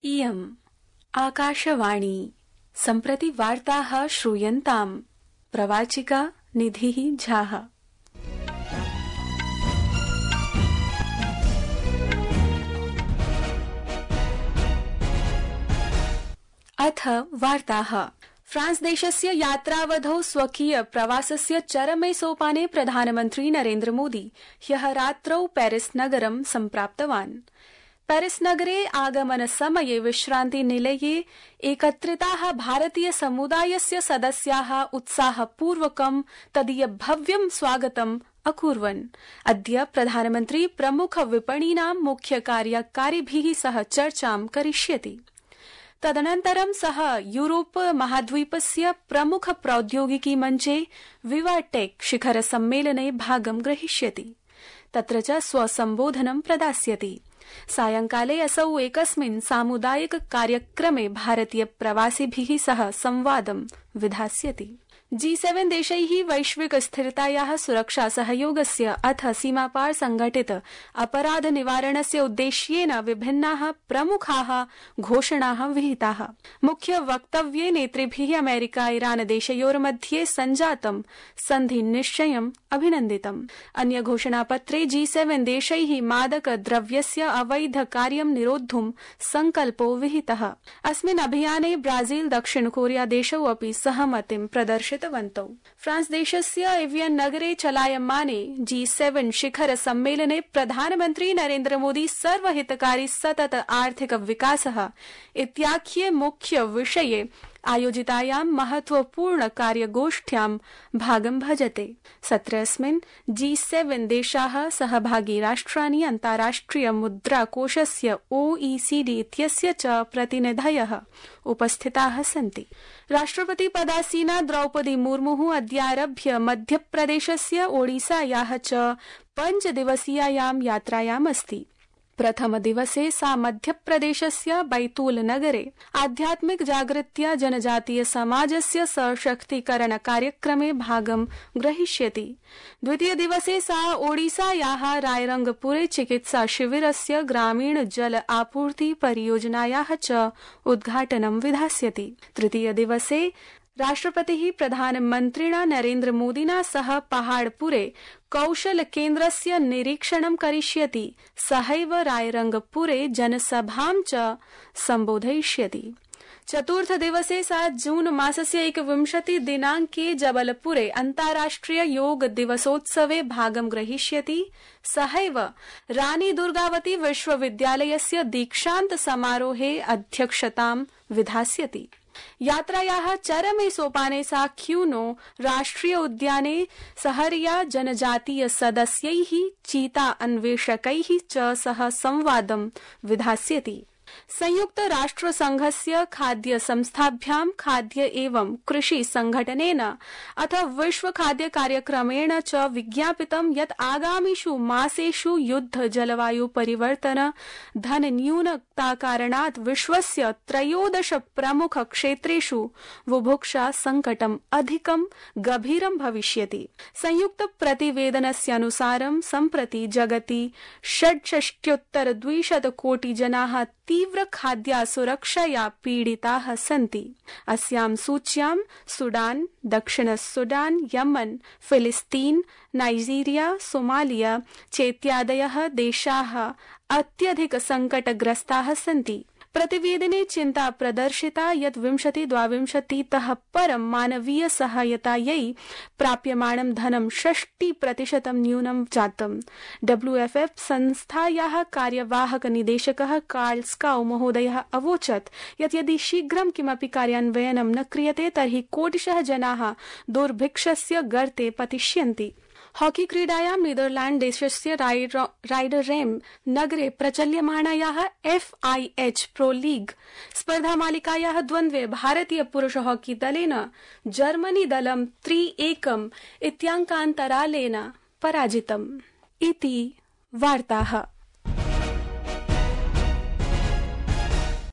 इयम् आकाशवाणी सम्प्रति वार्ताः श्रूयन्ताम्। प्रवाचिका निधिः झाः। अथ वार्ताः। फ्रांस देशस्य यात्रावधौ स्वकीय प्रवासस्य चरमे सोपाने प्रधानमन्त्री नरेन्द्र मोदी ह्यः रात्रौ पेरिस नगरं सम्प्राप्तवान्। पेरिस नगरे आगमन समये विश्रान्ति निलये एकत्रिताः भारतीय समुदायस्य सदस्याः उत्साहपूर्वकं तदीय भव्यं स्वागतम् अकुर्वन्। अद्य प्रधानमन्त्री प्रमुख विपणीनां मुख्य कार्यकारिभिः सह चर्चां करिष्यति। तदनन्तरं सः यूरोप महाद्वीपस्य प्रमुख प्रौद्योगिकी मञ्चे विवाटेक शिखर सम्मेलने भागं ग्रहीष्यति। तत्र च स्वसम्बोधनं प्रदास्यति। सायंकाले असौ एकस्मिन् सामुदायिक कार्यक्रमे भारतीय प्रवासिभिः सह संवादं विधास्यति। G7 देशैः वैश्विक स्थिरतायाः सुरक्षा सहयोगस्य अथ सीमापार संघटित अपराध निवारणस्य उद्देश्येन विभिन्नाः प्रमुखाः घोषणाः विहिताः। मुख्य वक्तव्ये नेतृभिः अमेरिका ईरान देशयोर्मध्ये सञ्जातं सन्धि निश्चयम् अभिनन्दितम्। अन्य घोषणापत्रे G7 देशैः मादक द्रव्यस्य अवैध कार्यं निरोद्धुं संकल्पो विहितः। अस्मिन् अभियाने ब्राजील दक्षिण कोरिया देशौ अपि सहमतिं प्रदर्शितवन्तौ। फ्रांस देशस्य एवियन नगरे चलायमाने G7 शिखर सम्मेलने प्रधानमन्त्री नरेन्द्र मोदी सर्वहितकारी सतत आर्थिक विकासः इत्याख्ये मुख्य विषये आयोजितायां महत्वपूर्ण कार्यगोष्ठ्यां भागं भजते। सत्रेऽस्मिन् G7 देशाः सहभागी राष्ट्राणि अन्ताराष्ट्रिय मुद्राकोषस्य OECD इत्यस्य च प्रतिनिधयः उपस्थिताः सन्ति। राष्ट्रपति पदासीना द्रौपदी मुर्मुः अद्यारभ्य मध्यप्रदेशस्य ओडिसायाः च 5 दिवसीयायां यात्रायाम् अस्ति। प्रथम दिवसे सा मध्यप्रदेशस्य बैतूल नगरे आध्यात्मिक जागृत्या जनजातीय समाजस्य सशक्तीकरण कार्यक्रमे भागं ग्रहीष्यति। द्वितीय दिवसे सा ओडिसायाः रायरंगपुरे चिकित्सा शिविरस्य ग्रामीण जल आपूर्ति परियोजनायाः च उद्घाटनं विधास्यति। तृतीय दिवसे राष्ट्रपतिः प्रधानमन्त्रिणा नरेन्द्र मोदिना सह पहाड़पुरे कौशल केन्द्रस्य निरीक्षणं करिष्यति। सहैव रायरंगपुरे जनसभां च सम्बोधयिष्यति। चतुर्थ दिवसे सा जून मासस्य 21 दिनाङ्के जबलपुरे अन्ताराष्ट्रिय योग दिवसोत्सवे भागं ग्रहीष्यति। सहैव रानी दुर्गावती विश्वविद्यालयस्य दीक्षान्त समारोहे अध्यक्षतां विधास्यति। यात्रायाः चरमे सोपाने सा क्यूनो राष्ट्रिय उद्याने सहरिया जनजातीय सदस्यैः चीता अन्वेषकैः च सह संवादं विधास्यति। संयुक्त राष्ट्र संघस्य खाद्य संस्थाभ्यां खाद्य एवं कृषि संघटनेन अथ विश्व खाद्य कार्यक्रमेण च विज्ञापितं यत् आगामिषु मासेषु युद्ध जलवायु परिवर्तन धन न्यूनता कारणात् विश्वस्य 13 प्रमुख क्षेत्रेषु बुभुक्षा संकटम् अधिकं गभीरं भविष्यति। संयुक्त प्रतिवेदनस्यानुसारं सम्प्रति जगति 66,200 कोटि जनाः तीव्र खाद्यासुरक्षया पीडिताः सन्ति। अस्यां सूच्यां सुडान, दक्षिण सुडान, यमन, फिलिस्तीन, नाइजीरिया, सोमालिया चेत्यादयः देशाः अत्यधिक संकटग्रस्ताः सन्ति। प्रतिवेदने चिन्ता प्रदर्शिता यत् 2022 तः परं मानवीय सहायतायै प्राप्यमाणं धनं 60% न्यूनं जातम्। WFF संस्थायाः कार्यवाहक निदेशकः कार्ल स्काउ महोदयः अवोचत् यत् यदि शीघ्रं किमपि कार्यान्वयनं न क्रियते तर्हि कोटिशः जनाः दुर्भिक्षस्य गर्ते पतिष्यन्ति। हॉकी क्रीडायां नीदरलैंड देशस्य राइडररेम नगरे प्रचल्यमाणायाः FIH प्रो लीग स्पर्धामालिकायाः द्वन्द्वे भारतीय पुरुष हॉकी दलेन जर्मनी दलं 3-1 इत्याङ्कान्तरालेन पराजितम्। इति वार्ताः।